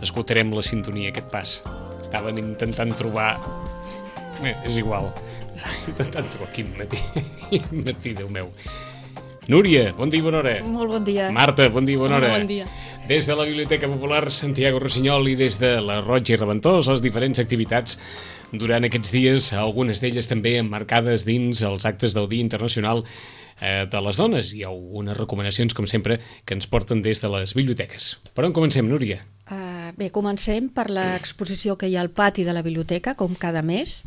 Escoltarem la sintonia, aquest pas. Estaven intentant trobar... és igual. Intentant trobar quin matí, Déu meu. Núria, bon dia i bona hora. Molt bon dia. Marta, bon dia i bona hora. Bon dia. Des de la Biblioteca Popular Santiago Rossinyol i des de la Roig i Reventós, les diferents activitats durant aquests dies, algunes d'elles també emmarcades dins els actes del Dia Internacional de les Dones. Hi ha algunes recomanacions, com sempre, que ens porten des de les biblioteques. Per on comencem, Núria? Bé, comencem per l'exposició que hi ha al pati de la biblioteca, com cada mes,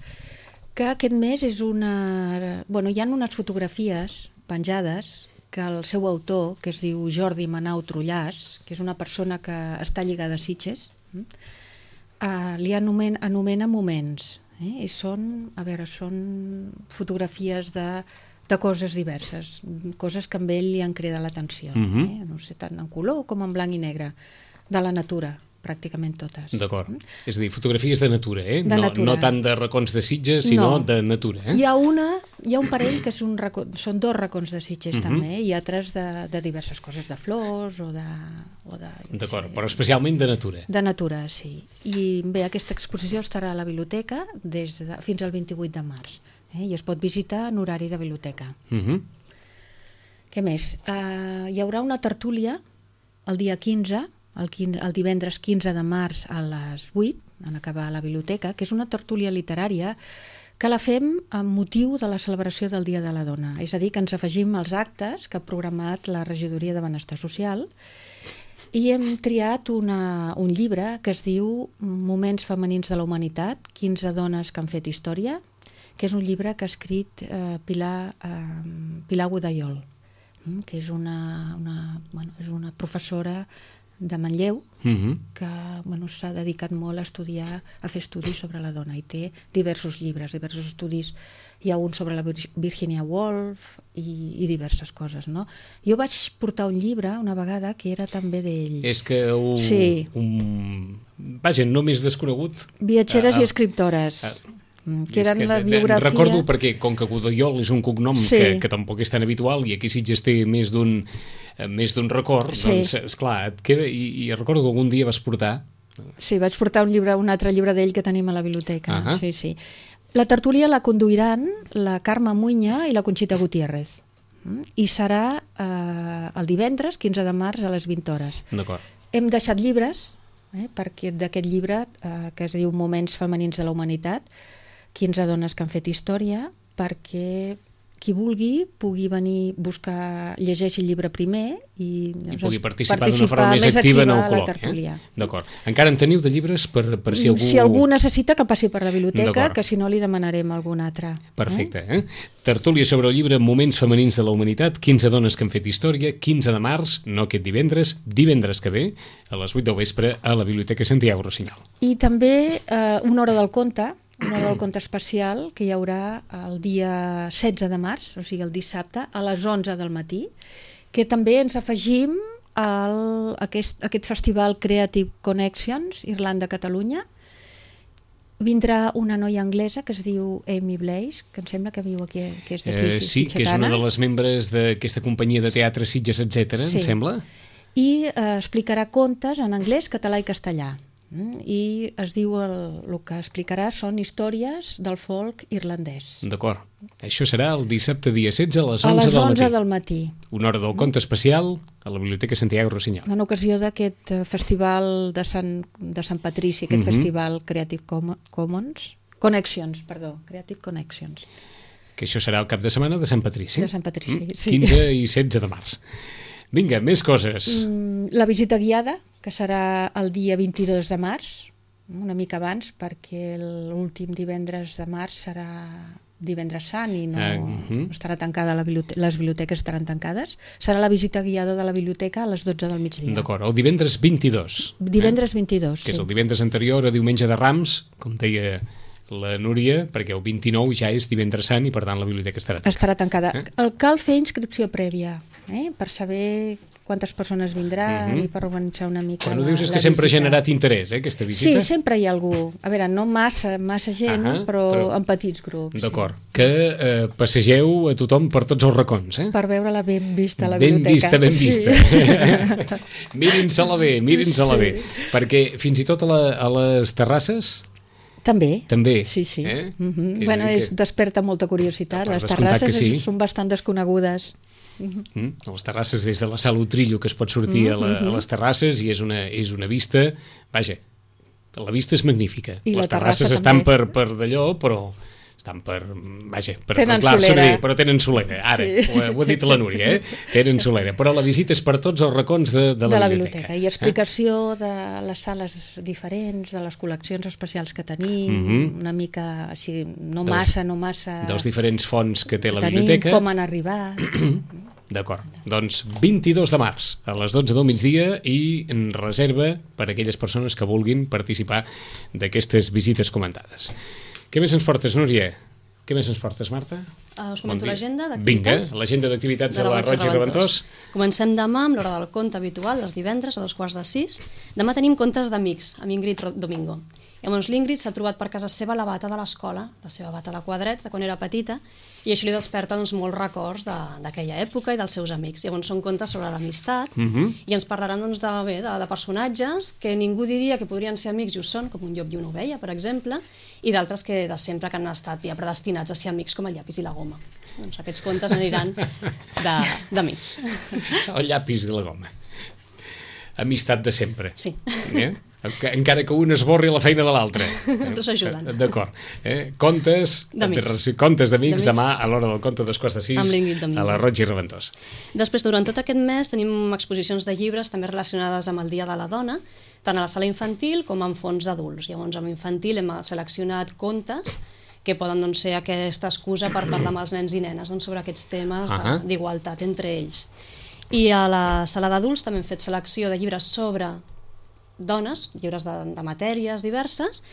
que aquest mes és una... Bueno, hi ha unes fotografies penjades que el seu autor, que es diu Jordi Manau Trullàs, que és una persona que està lligada a Sitges, li anomena moments. I són fotografies de coses diverses, coses que amb ell li han cridat l'atenció. No sé, tant en color com en blanc i negre, de la natura, pràcticament totes. D'acord. És a dir, fotografies de natura, De natura. No tant de racons de Sitges, sinó de natura. Hi ha un parell que són 2 racons de Sitges, també, i altres de diverses coses, de flors o de... D'acord, però especialment de natura. De natura, sí. I bé, aquesta exposició estarà a la biblioteca fins al 28 de març, i es pot visitar en horari de biblioteca. Què més? Hi haurà una tertúlia el dia 15, el divendres 15 de març a les 8, en acabar a la biblioteca, que és una tertúlia literària que la fem amb motiu de la celebració del Dia de la Dona. És a dir, que ens afegim als actes que ha programat la Regidoria de Benestar Social i hem triat un llibre que es diu Moments femenins de la humanitat, 15 dones que han fet història, que és un llibre que ha escrit Pilar Godaiol, que és és una professora de Manlleu que s'ha dedicat molt a fer estudis sobre la dona i té diversos llibres, diversos estudis. Hi ha un sobre la Virginia Woolf i diverses coses, no? Jo vaig portar un llibre una vegada que era també d'ell. És que vaja, no més desconegut. Viatgeres i escriptores. Que eren la biografia... Recordo perquè, com que Godaiol és un cognom que tampoc és tan habitual i aquí Sitges té més d'un record, doncs, esclar, et queda... I recordo que algun dia vas portar... Sí, vaig portar un altre llibre d'ell que tenim a la biblioteca. Sí. La tertúlia la conduiran la Carme Muña i la Conxita Gutiérrez. I serà el divendres, 15 de març, a les 20 hores. D'acord. Hem deixat llibres, perquè d'aquest llibre, que es diu Moments femenins de la humanitat, 15 dones que han fet història, perquè qui vulgui pugui venir llegeixi el llibre primer i pugui participar d'una forma més activa en el col·loqui. D'acord. Encara en teniu de llibres per si algú... Si algú necessita que passi per la biblioteca, que si no li demanarem algun altre. Perfecte. Tertúlia sobre el llibre Moments femenins de la humanitat, 15 dones que han fet història, 15 de març, no aquest divendres que ve, a les 8 del vespre, a la Biblioteca Santiago Rossinyol. I també una hora del conte especial que hi haurà el dia 16 de març, o sigui el dissabte, a les 11 del matí, que també ens afegim a aquest festival Creative Connections, Irlanda-Catalunya, Vindrà una noia anglesa que es diu Amy Blaze, que em sembla que viu aquí, que és d'aquí, Sí, que és una de les membres d'aquesta companyia de teatre Sitges, etc., em sembla. I explicarà contes en anglès, català i castellà. I es diu, el que explicarà són històries del folk irlandès. D'acord. Això serà el dissabte dia 16 a les 11 a les 11 del matí. Una hora del conte especial a la Biblioteca Santiago Rossinyol. En ocasió d'aquest festival de Sant Patrici, aquest festival Creative Commons, Creative Connections. Que això serà el cap de setmana de Sant Patrici. De Sant Patrici, sí. 15 i 16 de març. Vinga, més coses. La visita guiada, que serà el dia 22 de març, una mica abans, perquè l'últim divendres de març serà divendres sant i no estarà tancada les biblioteques estaran tancades. Serà la visita guiada de la biblioteca a les 12 del migdia. D'acord, el divendres 22. Divendres 22, que és el divendres anterior a diumenge de Rams, com deia la Núria, perquè el 29 ja és divendres sant i per tant la biblioteca estarà tancada. Estarà tancada. Cal fer inscripció prèvia, per saber quantes persones vindran i per organitzar una mica no dius és que sempre ha generat interès, aquesta visita? Sí, sempre hi ha algú. A veure, no massa gent, però en petits grups. D'acord. Que passegeu a tothom per tots els racons, Per veure-la ben vista, la biblioteca. Ben vista. Mirin-se-la bé, perquè fins i tot a les terrasses... També. Sí. Bueno, desperta molta curiositat. Les terrasses són bastant desconegudes. A les terrasses, des de la Sala Utrillo, que es pot sortir a les terrasses, i és una vista... Vaja, la vista és magnífica. Les terrasses estan per d'allò, però... estan però tenen solera. Ara, ho ha dit la Núria, tenen solera. Però la visita és per tots els racons de la biblioteca. I explicació de les sales diferents, de les col·leccions especials que tenim, una mica així, no massa... Dels diferents fonts que té la biblioteca. Com han arribat... D'acord, doncs 22 de març a les 12 del migdia i en reserva per a aquelles persones que vulguin participar d'aquestes visites comentades. Què més ens portes, Núria? Què més ens portes, Marta? Us comento l'agenda d'activitats. Vinga, l'agenda d'activitats de la Roig i Reventós. Comencem demà amb l'hora del conte habitual, els divendres a 2:45. Demà tenim contes d'amics, amb Ingrid Domingo. Llavors l'Ingrid s'ha trobat per casa seva la bata de l'escola, la seva bata de quadrets, de quan era petita, i això li desperta molts records d'aquella època i dels seus amics. Llavors són contes sobre l'amistat i ens parlaran de personatges que ningú diria que podrien ser amics i ho són, com un llop i una ovella, per exemple, i d'altres que de sempre que han estat ja predestinats a ser amics, com el llapis i la goma. Doncs aquests contes aniran d'amics. El llapis i la goma. Amistat de sempre. Sí. Encara que un esborri la feina de l'altre. Tots ajuden. D'acord. Contes d'amics demà a l'hora del conte 2:45 a la Roig i Reventós. Després, durant tot aquest mes, tenim exposicions de llibres també relacionades amb el Dia de la Dona, tant a la sala infantil com en fons d'adults. Llavors, amb infantil hem seleccionat contes que poden ser aquesta excusa per parlar amb els nens i nenes sobre aquests temes d'igualtat entre ells. I a la sala d'adults també hem fet selecció de llibres sobre dones, llibres de matèries diverses,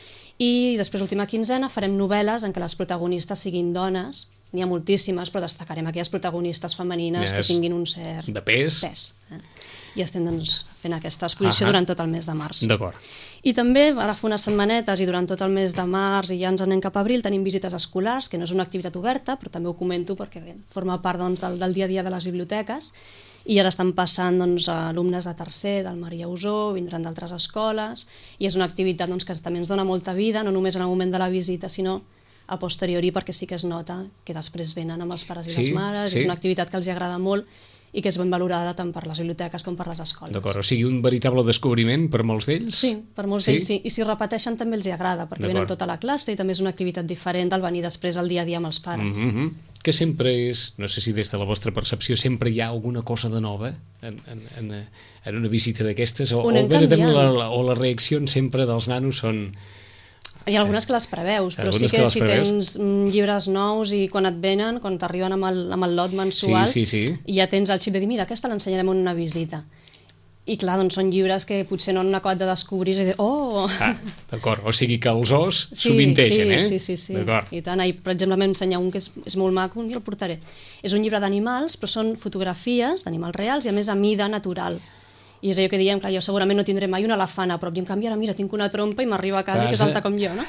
i després l'última quinzena farem novel·les en què les protagonistes siguin dones. N'hi ha moltíssimes, però destacarem aquelles protagonistes femenines que tinguin un cert pes. I estem fent aquesta exposició durant tot el mes de març. D'acord. I també, ara fa unes setmanetes i durant tot el mes de març i ja ens anem cap a abril, tenim visites escolars, que no és una activitat oberta, però també ho comento perquè forma part del dia a dia de les biblioteques. I ara estan passant alumnes de tercer, del Maria Usó, vindran d'altres escoles, i és una activitat que també ens dona molta vida, no només en el moment de la visita, sinó a posteriori, perquè sí que es nota que després venen amb els pares i les mares, és una activitat que els agrada molt i que és ben valorada tant per les biblioteques com per les escoles. D'acord, o sigui, un veritable descobriment per molts d'ells? Sí, per molts d'ells sí, i si repeteixen també els agrada, perquè venen tota la classe i també és una activitat diferent del venir després al dia a dia amb els pares. Que sempre és, no sé si des de la vostra percepció, sempre hi ha alguna cosa de nova en una visita d'aquestes, o les reaccions sempre dels nanos són... Hi ha algunes que les preveus, però sí que si tens llibres nous i quan et venen, quan t'arriben amb el lot mensual, i ja tens el xip de dir, mira, aquesta l'ensenyarem en una visita. I clar, doncs són llibres que potser no han acabat de descobrir i dir, oh! D'acord, o sigui que els os sovinteixen, Sí. I tant, per exemple, m'he ensenyat un que és molt maco, un dia el portaré. És un llibre d'animals, però són fotografies d'animals reals i a més a mida natural. I és allò que diem, clar, jo segurament no tindré mai un elefant a prop, i en canvi ara, mira, tinc una trompa i m'arriba a casa, que és alta com jo, no?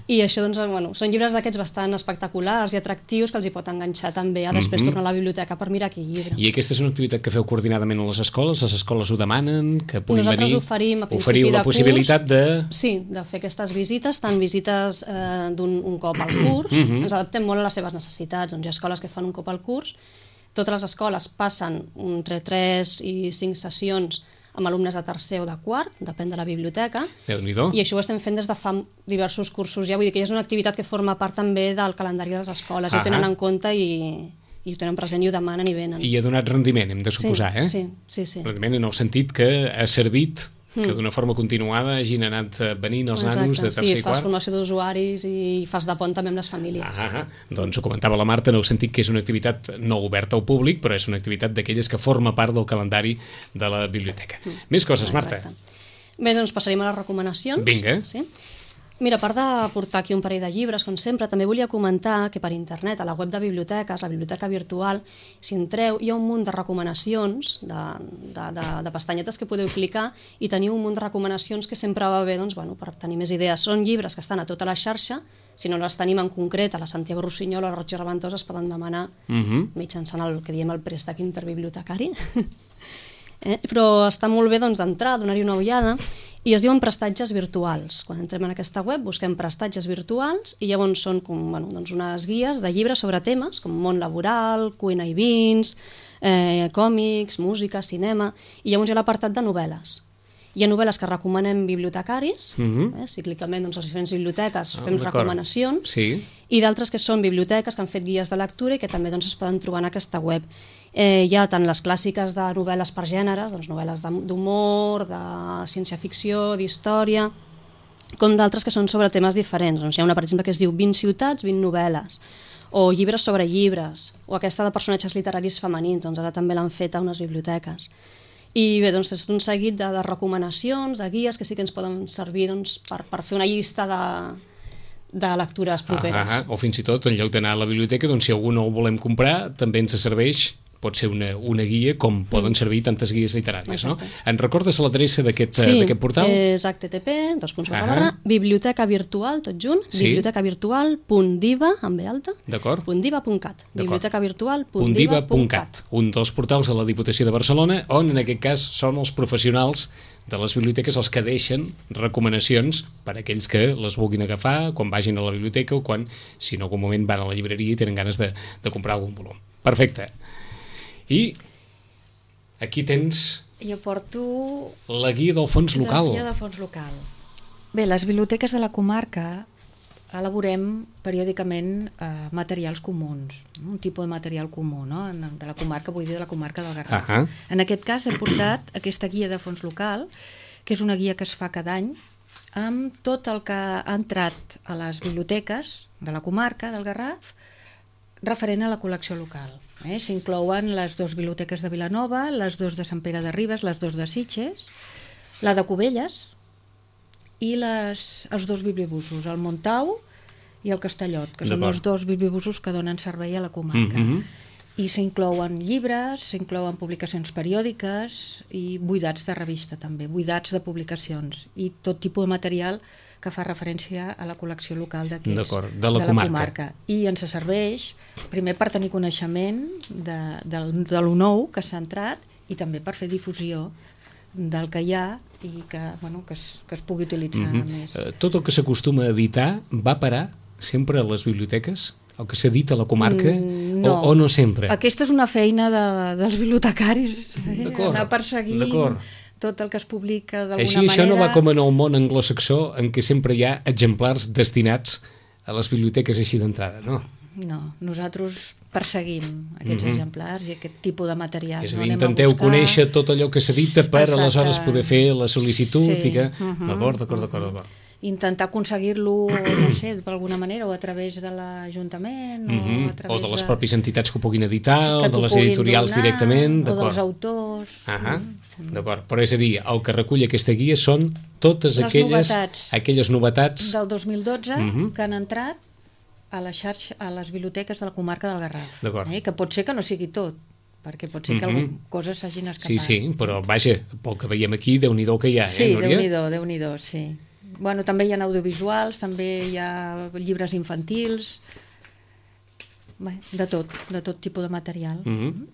I això, doncs, bueno, són llibres d'aquests bastant espectaculars i atractius que els hi pot enganxar també a després tornar a la biblioteca per mirar aquell llibre. I aquesta és una activitat que feu coordinadament a les escoles ho demanen, que puguin Nosaltres venir? oferim a principi Oferiu de la possibilitat curs, de... Sí, de fer aquestes visites, tant visites un cop al curs, ens adaptem molt a les seves necessitats, doncs hi ha escoles que fan un cop al curs, totes les escoles passen entre 3 i 5 sessions amb alumnes de tercer o de quart, depèn de la biblioteca, Déu-n'hi-do. i això ho estem fent des de fa diversos cursos ja, vull dir que és una activitat que forma part també del calendari de les escoles, i ho tenen en compte i ho tenen present i ho demanen i venen. I ha donat rendiment, hem de suposar, sí, Sí. Rendiment en el sentit que ha servit que d'una forma continuada hagin anat venint els nanos de tercer i quart. Sí, fas formació d'usuaris i fas de pont també amb les famílies. Doncs ho comentava la Marta en el sentit que és una activitat no oberta al públic, però és una activitat d'aquelles que forma part del calendari de la biblioteca. Més coses, Marta. Bé, doncs passarem a les recomanacions. Vinga. Sí? Mira, a part de portar aquí un parell de llibres, com sempre, també volia comentar que per internet, a la web de biblioteques, la biblioteca virtual, si entreu, hi ha un munt de recomanacions, de pestanyetes que podeu clicar, i teniu un munt de recomanacions que sempre va bé, doncs, bueno, per tenir més idees. Són llibres que estan a tota la xarxa, si no les tenim en concret a la Santiago Rossinyol o a la Roig i Reventós, es poden demanar mitjançant el que diem el préstec interbibliotecari. Però està molt bé d'entrar, donar-hi una ullada, i es diuen prestatges virtuals. Quan entrem en aquesta web busquem prestatges virtuals i llavors són unes guies de llibres sobre temes com món laboral, cuina i vins, còmics, música, cinema, i llavors hi ha l'apartat de novel·les. Hi ha novel·les que recomanem bibliotecaris, cíclicament les diferents biblioteques fem recomanacions, i d'altres que són biblioteques que han fet guies de lectura i que també es poden trobar en aquesta web. Hi ha tant les clàssiques de novel·les per gèneres, novel·les d'humor, de ciència-ficció, d'història, com d'altres que són sobre temes diferents. Hi ha una, per exemple, que es diu 20 ciutats, 20 novel·les, o llibres sobre llibres, o aquesta de personatges literaris femenins, ara també l'han fet a unes biblioteques. I bé, és un seguit de recomanacions, de guies que sí que ens poden servir per fer una llista de lectures properes. O fins i tot, en lloc d'anar a la biblioteca, si algú no el volem comprar, també ens serveix, pot ser una guia, com poden servir tantes guies literàries, no? En recordes l'adreça d'aquest portal? Sí, és http, biblioteca virtual, tot junt, bibliotecavirtual.diva, amb B alta, .diva.cat, bibliotecavirtual.diva.cat. Un dels portals de la Diputació de Barcelona, on en aquest cas són els professionals de les biblioteques els que deixen recomanacions per a aquells que les vulguin agafar quan vagin a la biblioteca o quan, si en algun moment van a la llibreria i tenen ganes de comprar algun volum. Perfecte. I aquí tens... Jo porto... La guia del fons local. La guia del fons local. Bé, les biblioteques de la comarca elaborem periòdicament materials comuns, un tipus de material comú, no? De la comarca, vull dir de la comarca del Garraf. En aquest cas he portat aquesta guia de fons local, que és una guia que es fa cada any, amb tot el que ha entrat a les biblioteques de la comarca del Garraf referent a la col·lecció local. S'inclouen les 2 biblioteques de Vilanova, les 2 de Sant Pere de Ribes, les 2 de Sitges, la de Cubelles i els 2 bibliobusos, el Montau i el Castellot, que són els 2 bibliobusos que donen servei a la comarca. I s'inclouen llibres, s'inclouen publicacions periòdiques i buidats de revista també, buidats de publicacions i tot tipus de material que fa referència a la col·lecció local de la comarca. I ens serveix primer per tenir coneixement de lo nou que s'ha entrat i també per fer difusió del que hi ha i que es pugui utilitzar més. Tot el que s'acostuma a editar va parar sempre a les biblioteques? El que s'edita a la comarca? O no sempre? Aquesta és una feina dels bibliotecaris, anar perseguint tot el que es publica d'alguna manera. Això no va com en el món anglosaxó, en què sempre hi ha exemplars destinats a les biblioteques així d'entrada, no? No, nosaltres perseguim aquests exemplars i aquest tipus de material. És a dir, intenteu conèixer tot allò que s'edita per aleshores poder fer la sol·licitud i que... D'acord. Intentar aconseguir-lo, no sé, d'alguna manera, o a través de l'Ajuntament, o a través o de les pròpies entitats que ho puguin editar, o de les editorials directament. O dels autors. D'acord, però és a dir, el que recull aquesta guia són totes aquelles novetats del 2012 que han entrat a les biblioteques de la comarca del Garraf. Que pot ser que no sigui tot, perquè pot ser que coses s'hagin escapat. Sí, però vaja, pel que veiem aquí, Déu-n'hi-do que hi ha, sí, Núria? Déu-n'hi-do, sí. Bueno, també hi ha audiovisuals, també hi ha llibres infantils, de tot tipus de material.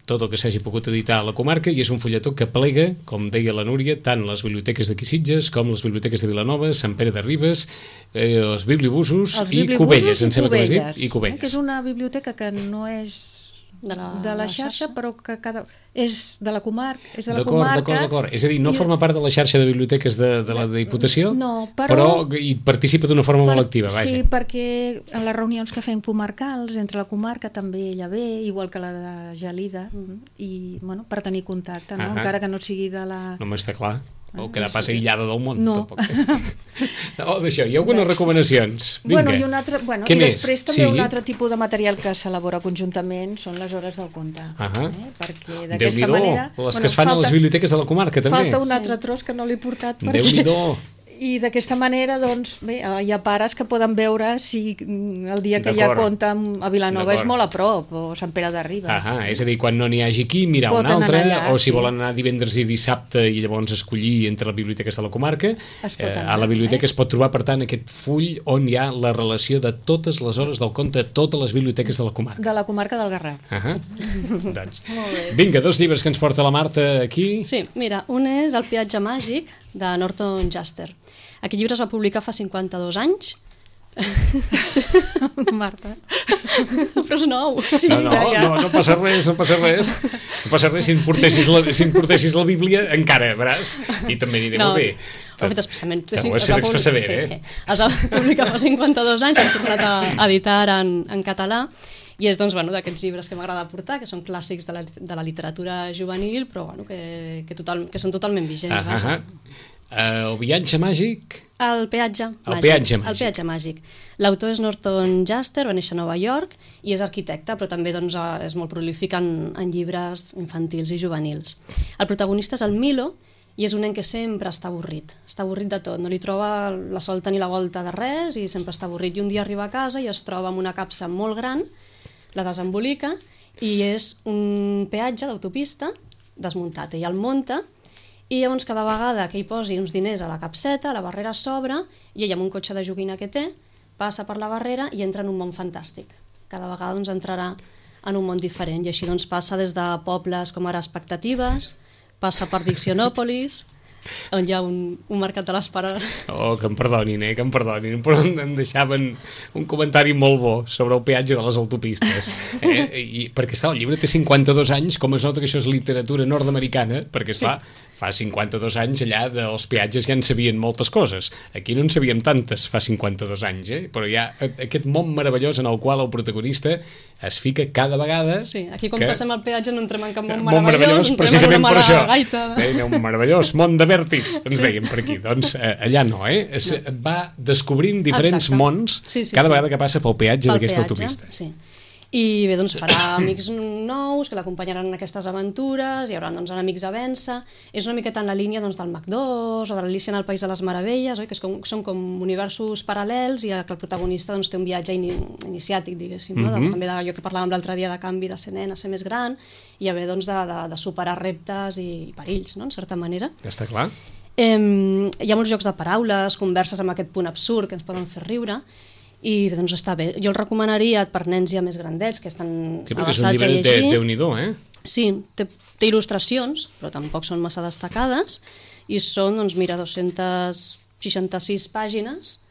Tot el que s'hagi pogut editar a la comarca, i és un fulletó que plega, com deia la Núria, tant les biblioteques d'aquí Sitges com les biblioteques de Vilanova, Sant Pere de Ribes, els bibliobusos i Cubelles, em sembla que m'has dit, i Cubelles. Que és una biblioteca que no és de la xarxa, però que és de la comarca. D'acord. És a dir, no forma part de la xarxa de biblioteques de la Diputació, però hi participa d'una forma molt activa, vaja. Sí, perquè en les reunions que fem comarcals, entre la comarca també ella ve, igual que la de Gelida, i per tenir contacte, encara que no sigui de la... No m'està clar. O quedar pas aïllada del món, no. Tampoc. D'això, hi ha algunes recomanacions. Vinga. I després també un altre tipus de material que s'elabora conjuntament són les hores del conte. Perquè d'aquesta manera... Les que es fan a les biblioteques de la comarca, també. Falta un altre tros que no l'he portat. Déu-n'hi-do. I d'aquesta manera, doncs, bé, hi ha pares que poden veure si el dia que hi ha conte a Vilanova és molt a prop, o Sant Pere de Ribes. És a dir, quan no n'hi hagi aquí, mirar un altre, o si volen anar divendres i dissabte i llavors escollir entre les biblioteques de la comarca, a la biblioteca es pot trobar, per tant, aquest full on hi ha la relació de totes les hores del conte a totes les biblioteques de la comarca. De la comarca del Garraf. Doncs, vinga, 2 llibres que ens porta la Marta aquí. Sí, mira, un és El peatge màgic, de Norton Juster. Aquest llibre es va publicar fa 52 anys. Marta. Però és nou. Sí, no passa res. No passa res si em portessis la Bíblia, encara, veràs? I també aniré molt bé. Ho he fet especialment. Ho has fet expressament, eh? Es va publicar fa 52 anys, hem tornat a editar en català, i és d'aquests llibres que m'agrada portar, que són clàssics de la literatura juvenil, però que són totalment vigents. El viatge màgic? El peatge màgic. L'autor és Norton Juster, va néixer a Nova York i és arquitecte, però també és molt prolífic en llibres infantils i juvenils. El protagonista és el Milo i és un nen que sempre està avorrit de tot, no li troba la solta ni la volta de res i sempre està avorrit. I un dia arriba a casa i es troba amb una capsa molt gran, la desembolica i és un peatge d'autopista desmuntat. Ell el munta i llavors cada vegada que hi posi uns diners a la capseta, la barrera s'obre i ell amb un cotxe de joguina que té passa per la barrera i entra en un món fantàstic. Cada vegada entrarà en un món diferent i així passa des de pobles com ara Expectatives, passa per Diccionòpolis, on hi ha un mercat de l'Esperó. Que em perdonin, però em deixaven un comentari molt bo sobre el peatge de les autopistes. Perquè, esclar, el llibre té 52 anys, com es nota que això és literatura nord-americana, perquè, esclar, fa 52 anys allà dels peatges ja en sabien moltes coses. Aquí no en sabíem tantes fa 52 anys, però hi ha aquest món meravellós en el qual el protagonista es fica cada vegada... Sí, aquí quan passem el peatge no entrem en cap món meravellós, entrem en una mala gaita. Un meravellós món de vèrtix, ens deien per aquí. Doncs allà no, va descobrint diferents mons cada vegada que passa pel peatge d'aquesta autopista. Sí. I bé, farà amics nous que l'acompanyaran en aquestes aventures, hi haurà enemics a vèncer. És una miqueta en la línia del Mac2 o de l'Alícia en el País de les Meravelles, que són com universos paral·lels i que el protagonista té un viatge iniciàtic, diguéssim, també d'allò que parlàvem l'altre dia de canvi de ser nen a ser més gran i haver de superar reptes i perills, en certa manera. Està clar. Hi ha molts jocs de paraules, converses amb aquest punt absurd que ens poden fer riure, i està bé. Jo el recomanaria per nens ja més grandets, que estan avançats a llegir. És un llibre de Déu-n'hi-do, Sí, té il·lustracions, però tampoc són massa destacades, i són, 266 pàgines,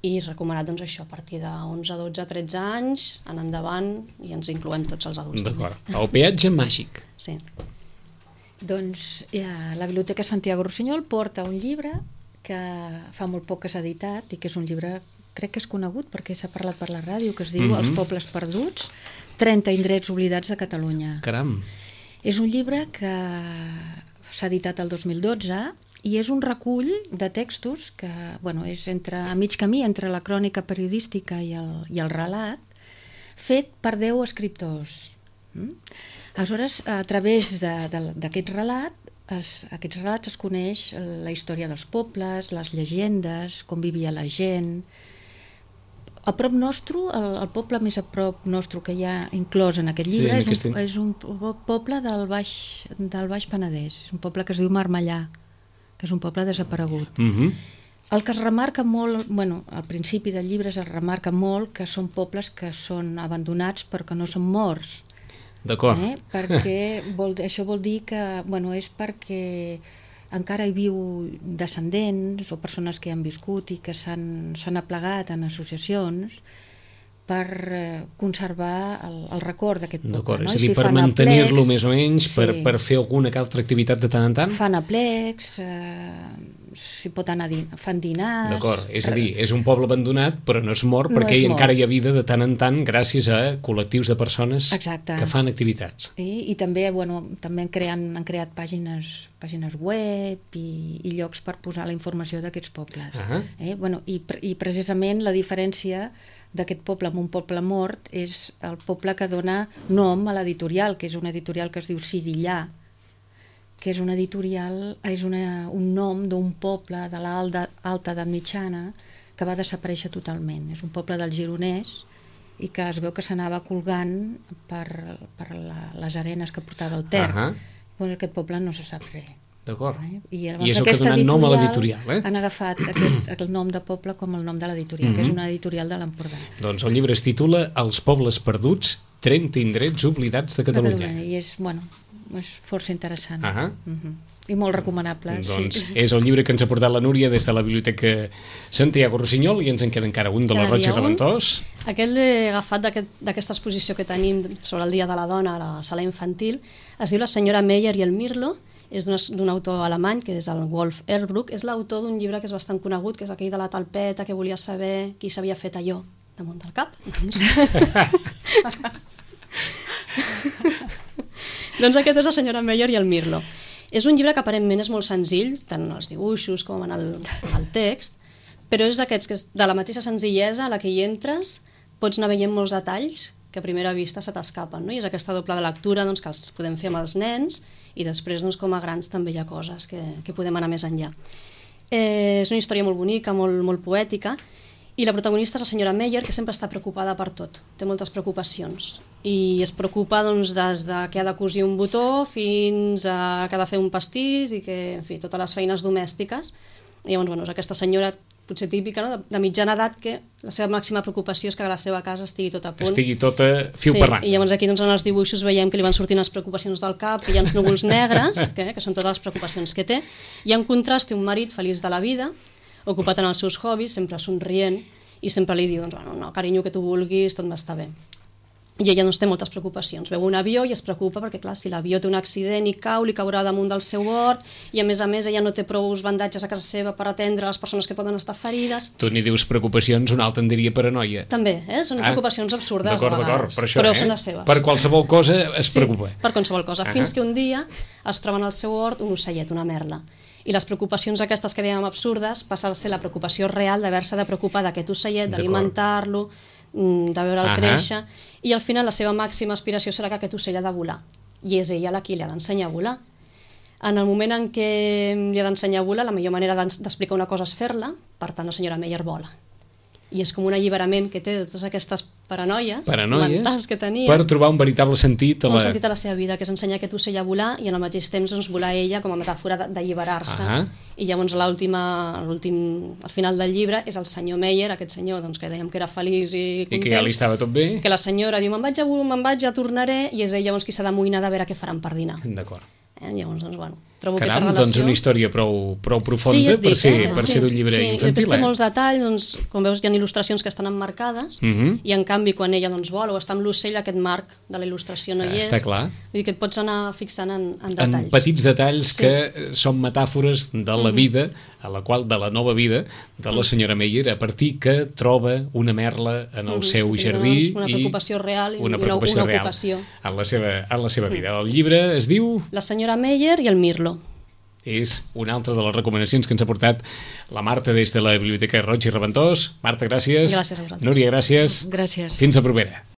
i recomanat això a partir de 11, 12, 13 anys, en endavant, i ens incloem tots els adults. D'acord. El peatge màgic. Sí. Doncs la Biblioteca Santiago Rossinyol porta un llibre que fa molt poc que s'ha editat i que és un llibre, crec que és conegut perquè s'ha parlat per la ràdio, que es diu Els pobles perduts, 30 indrets oblidats de Catalunya. Caram! És un llibre que s'ha editat el 2012 i és un recull de textos que és a mig camí entre la crònica periodística i el relat, fet per 10 escriptors. Aleshores, a través d'aquest relat, aquests relats es coneix la història dels pobles, les llegendes, com vivia la gent, A prop nostre, el poble més a prop nostre que hi ha inclòs en aquest llibre és un poble del Baix Penedès, és un poble que es diu Marmellà, que és un poble desaparegut. El que es remarca molt, al principi del llibre es remarca molt que són pobles que són abandonats però que no són morts. D'acord. Perquè això vol dir que és perquè encara hi viu descendents o persones que han viscut i que s'han aplegat en associacions per conservar el record d'aquest poble. D'acord, és a dir, per mantenir-lo més o menys, per fer alguna altra activitat de tant en tant? Fan aplecs, s'hi pot anar fan dinars... D'acord, és a dir, és un poble abandonat però no és mort perquè encara hi ha vida de tant en tant gràcies a col·lectius de persones que fan activitats. I també han creat pàgines web i llocs per posar la informació d'aquests pobles. I precisament la diferència d'aquest poble amb un poble mort és el poble que dona nom a l'editorial, que és una editorial que es diu Sidillà, que és una editorial, és un nom d'un poble de l'alta edat mitjana que va desaparèixer totalment. És un poble del Gironès i que es veu que s'anava colgant per les arenes que portava el Ter. Aquest poble no se sap res. D'acord. I és el que ha donat nom a l'editorial. Han agafat el nom de poble com el nom de l'editorial, que és una editorial de l'Empordà. Doncs el llibre es titula Els pobles perduts, 30 indrets oblidats de Catalunya. I és força interessant. I molt recomanable. Doncs és el llibre que ens ha portat la Núria des de la Biblioteca Santiago Rossinyol i ens en queda encara un de la Roig i Raventós. Aquest l'he agafat d'aquesta exposició que tenim sobre el Dia de la Dona a la sala infantil. Es diu La senyora Meyer i el Mirlo. És d'un autor alemany, que és el Wolf Erbruck. És l'autor d'un llibre que és bastant conegut, que és aquell de la talpeta, que volia saber qui s'havia fet allò damunt del cap. Doncs aquest és La senyora Meyer i el Mirlo. És un llibre que aparentment és molt senzill, tant en els dibuixos com en el text, però és d'aquests que és de la mateixa senzillesa a la que hi entres, pots anar veient molts detalls que a primera vista se t'escapen, no? I és aquesta doble de lectura que els podem fer amb els nens i després com a grans també hi ha coses que podem anar més enllà. És una història molt bonica, molt poètica, i la protagonista és la senyora Meyer, que sempre està preocupada per tot, té moltes preocupacions i es preocupa des de que ha de cosir un botó fins a que ha de fer un pastís i que, en fi, totes les feines domèstiques. I llavors, és aquesta senyora potser típica, no? De mitjana edat, que la seva màxima preocupació és que la seva casa estigui tot a punt. Estigui tota fil per randa. I llavors aquí en els dibuixos veiem que li van sortint les preocupacions del cap, que hi ha uns núvols negres, que són totes les preocupacions que té, i en contrast té un marit feliç de la vida, ocupat en els seus hobbies, sempre somrient, i sempre li diu, no, carinyo, que tu vulguis, tot m'està bé. I ella té moltes preocupacions. Veu un avió i es preocupa perquè, clar, si l'avió té un accident i cau, li caurà damunt del seu hort, i a més ella no té prou bandatges a casa seva per atendre les persones que poden estar ferides. Tu n'hi dius preocupacions, un altre en diria paranoia. També, són preocupacions absurdes a vegades. D'acord, per això, però són les seves. Per qualsevol cosa es preocupa. Per qualsevol cosa, fins que un dia es troben al seu hort un ocellet, una merla. I les preocupacions aquestes que dèiem absurdes passen a ser la preocupació real d'haver-se de preocupar d'aquest ocellet, d'alimentar-lo, de veure'l créixer, i al final la seva màxima aspiració serà que aquest ocell ha de volar, i és ella la qui li ha d'ensenyar a volar. En el moment en què li ha d'ensenyar a volar, la millor manera d'explicar una cosa és fer-la, per tant la senyora Meyer vola. I és com un alliberament que té de totes aquestes paranoies mentals que tenia. Per trobar un veritable sentit a la seva vida, que és ensenyar aquest ocell a volar i al mateix temps volar ella com a metàfora d'alliberar-se. I llavors al final del llibre és el senyor Meyer, aquest senyor que dèiem que era feliç i content. I que ja li estava tot bé. Que la senyora diu, me'n vaig, ja tornaré, i és ell llavors qui s'ha d'amoïnar de veure què faran per dinar. D'acord. Llavors, trobo aquesta relació... doncs una història prou profunda per ser d'un llibre infantil. Sí, té molts detalls, com veus hi ha il·lustracions que estan emmarcades i en canvi quan ella vola o està amb l'ocell, aquest marc de la il·lustració no hi és. Està clar. Vull dir que et pots anar fixant en detalls. En petits detalls que són metàfores de la vida, de la nova vida de la senyora Meyer, a partir que troba una merla en el seu jardí una preocupació real i una ocupació en la seva vida. El llibre es diu... La senyora Meyer i el Mirlo. És una altra de les recomanacions que ens ha portat la Marta des de la Biblioteca Roig i Raventós. Marta, gràcies. Gràcies a vosaltres. Núria, gràcies. Gràcies. Fins a propera.